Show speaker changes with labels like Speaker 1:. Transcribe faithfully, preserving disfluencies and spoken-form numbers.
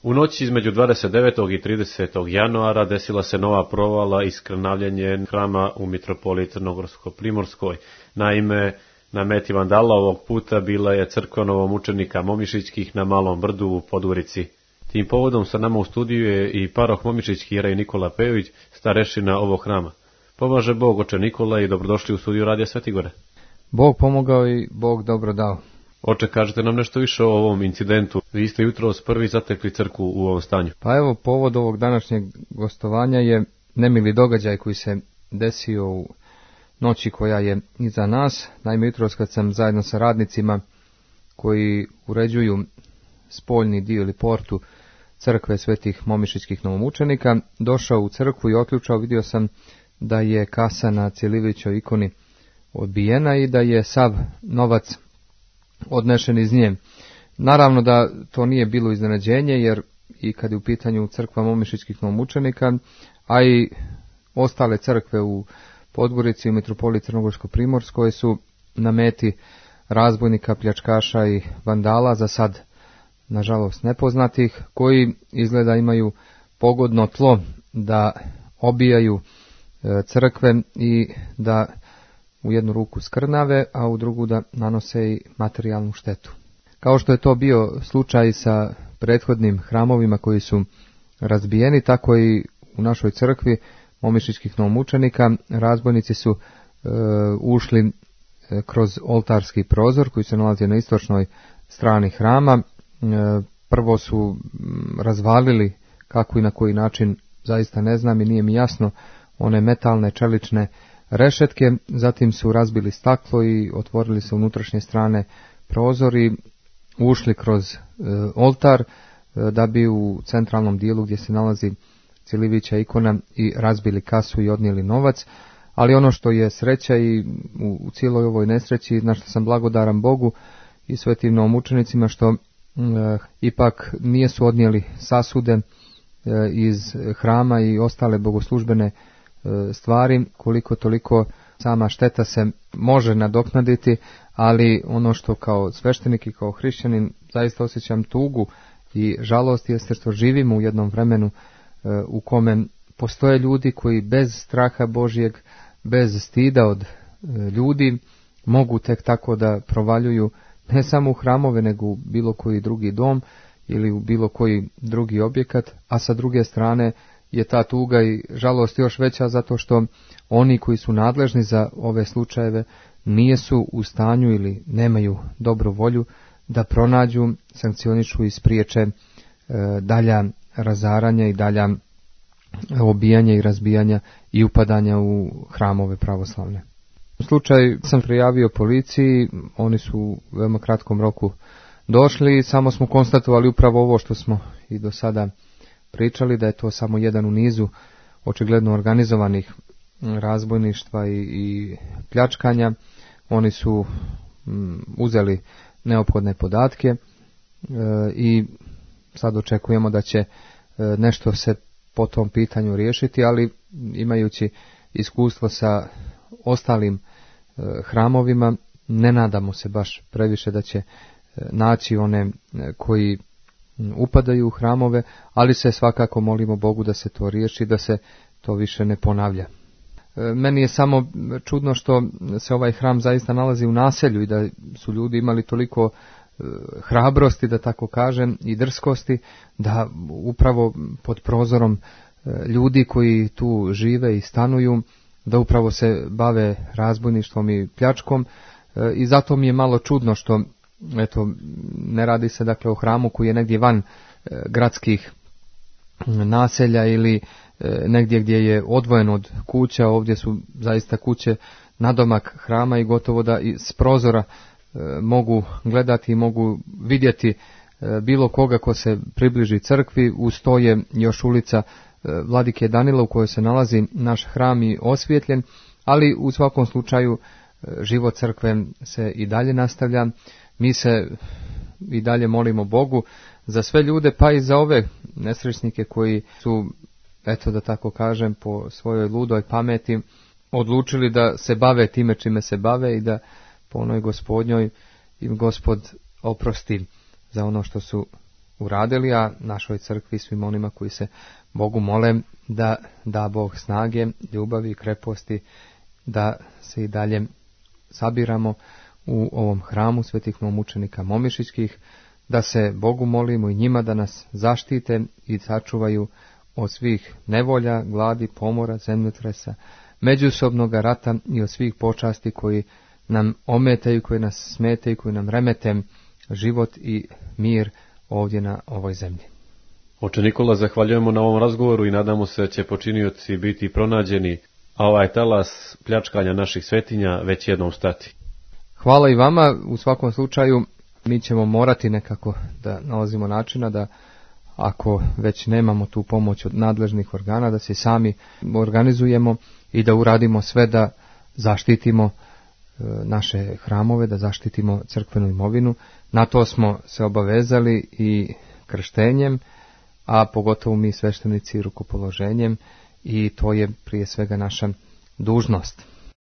Speaker 1: U noći između dvadeset devetog i tridesetog januara desila se nova provala i skrnavljenje hrama u Mitropoliji Crnogorsko-Primorskoj. Naime, na meti vandala ovog puta bila je crkva novomučenika Momišićkih na Malom brdu u Podgorici. Tim povodom sa nama u studiju je i paroh Momišićki jerej Nikola Pejović, starešina ovog hrama. Pomaže Bog, oče Nikola, i dobrodošli u studiju Radija Svetigore.
Speaker 2: Bog pomogao i Bog dobro dao.
Speaker 1: Oče, kažete nam nešto više o ovom incidentu. Vi ste jutros prvi zatekli crkvu u ovom stanju.
Speaker 2: Pa evo, povod ovog današnjeg gostovanja je nemili događaj koji se desio u noći koja je iza nas. Naime, jutros kad sam zajedno sa radnicima koji uređuju spoljni dio ili portu crkve svetih Momišićkih novomučenika, došao u crkvu i otključao, vidio sam da je kasa na Cjelivićoj ikoni odbijena i da je sav novac odnešen iz nje. Naravno da to nije bilo iznenađenje, jer i kad je u pitanju crkva Momišićkih novomučenika, a i ostale crkve u Podgorici i u Mitropoliji Crnogorsko-Primorskoj su na meti razbojnika, pljačkaša i vandala, za sad nažalost nepoznatih, koji izgleda imaju pogodno tlo da obijaju crkve i da u jednu ruku skrnave, a u drugu da nanose i materijalnu štetu. Kao što je to bio slučaj sa prethodnim hramovima koji su razbijeni, tako i u našoj crkvi Momišićkih novomučenika razbojnici su e, ušli kroz oltarski prozor koji se nalazi na istočnoj strani hrama. E, prvo su razvalili, kako i na koji način zaista ne znam i nije mi jasno, one metalne čelične rešetke, zatim su razbili staklo i otvorili se unutrašnje strane prozori, ušli kroz e, oltar e, da bi u centralnom dijelu gdje se nalazi Cjelivića ikona i razbili kasu i odnijeli novac. Ali ono što je sreća i u, u cijeloj ovoj nesreći, na što sam blagodaran Bogu i svetim novomučenicima, što e, ipak nijesu odnijeli sasude e, iz hrama i ostale bogoslužbene stvari, koliko toliko sama šteta se može nadoknaditi, ali ono što kao sveštenik i kao hrišćanin zaista osjećam tugu i žalost jeste što živimo u jednom vremenu u kome postoje ljudi koji bez straha Božjeg, bez stida od ljudi mogu tek tako da provaljuju ne samo u hramove, nego u bilo koji drugi dom ili u bilo koji drugi objekat, a sa druge strane je ta tuga i žalost još veća zato što oni koji su nadležni za ove slučajeve nijesu u stanju ili nemaju dobru volju da pronađu, sankcionišu i spriječe e, dalja razaranja i dalja obijanja i razbijanja i upadanja u hramove pravoslavne. U slučaju sam prijavio policiji, oni su u veoma kratkom roku došli i samo smo konstatovali upravo ovo što smo i do sada pričali, da je to samo jedan u nizu očigledno organizovanih razbojništva i, i pljačkanja. Oni su m, uzeli neophodne podatke e, i sad očekujemo da će e, nešto se po tom pitanju riješiti, ali imajući iskustvo sa ostalim e, hramovima, ne nadamo se baš previše da će e, naći one e, koji upadaju u hramove, ali se svakako molimo Bogu da se to riješi, da se to više ne ponavlja. Meni je samo čudno što se ovaj hram zaista nalazi u naselju i da su ljudi imali toliko hrabrosti, da tako kažem, i drskosti, da upravo pod prozorom ljudi koji tu žive i stanuju, da upravo se bave razbojništvom i pljačkom, i zato mi je malo čudno što eto, ne radi se dakle o hramu koji je negdje van e, gradskih naselja ili e, negdje gdje je odvojen od kuća. Ovdje su zaista kuće nadomak hrama i gotovo da iz prozora e, mogu gledati i mogu vidjeti e, bilo koga ko se približi crkvi. Uz to je još ulica e, Vladike Danila u kojoj se nalazi naš hram i osvjetljen, ali u svakom slučaju e, život crkve se i dalje nastavlja. Mi se i dalje molimo Bogu za sve ljude, pa i za ove nesrećnike koji su, eto da tako kažem, po svojoj ludoj pameti odlučili da se bave time čime se bave i da po onoj gospodnjoj im Gospod oprosti za ono što su uradili, a našoj crkvi, svim onima koji se Bogu mole, da da Bog snage, ljubavi i kreposti, da se i dalje sabiramo u ovom hramu svetih mučenika Momišićkih, da se Bogu molimo i njima da nas zaštite i sačuvaju od svih nevolja, gladi, pomora, zemljotresa, međusobnog rata i od svih počasti koji nam ometaju, koji nas smetaju, koji nam remete život i mir ovdje na ovoj zemlji.
Speaker 1: Oče Nikola, zahvaljujemo na ovom razgovoru i nadamo se da će počinioci biti pronađeni, a ovaj talas pljačkanja naših svetinja već jednom stati.
Speaker 2: Hvala i vama. U svakom slučaju mi ćemo morati nekako da nalazimo načina da, ako već nemamo tu pomoć od nadležnih organa, da se sami organizujemo i da uradimo sve da zaštitimo naše hramove, da zaštitimo crkvenu imovinu. Na to smo se obavezali i krštenjem, a pogotovo mi sveštenici rukopoloženjem, i to je prije svega naša dužnost.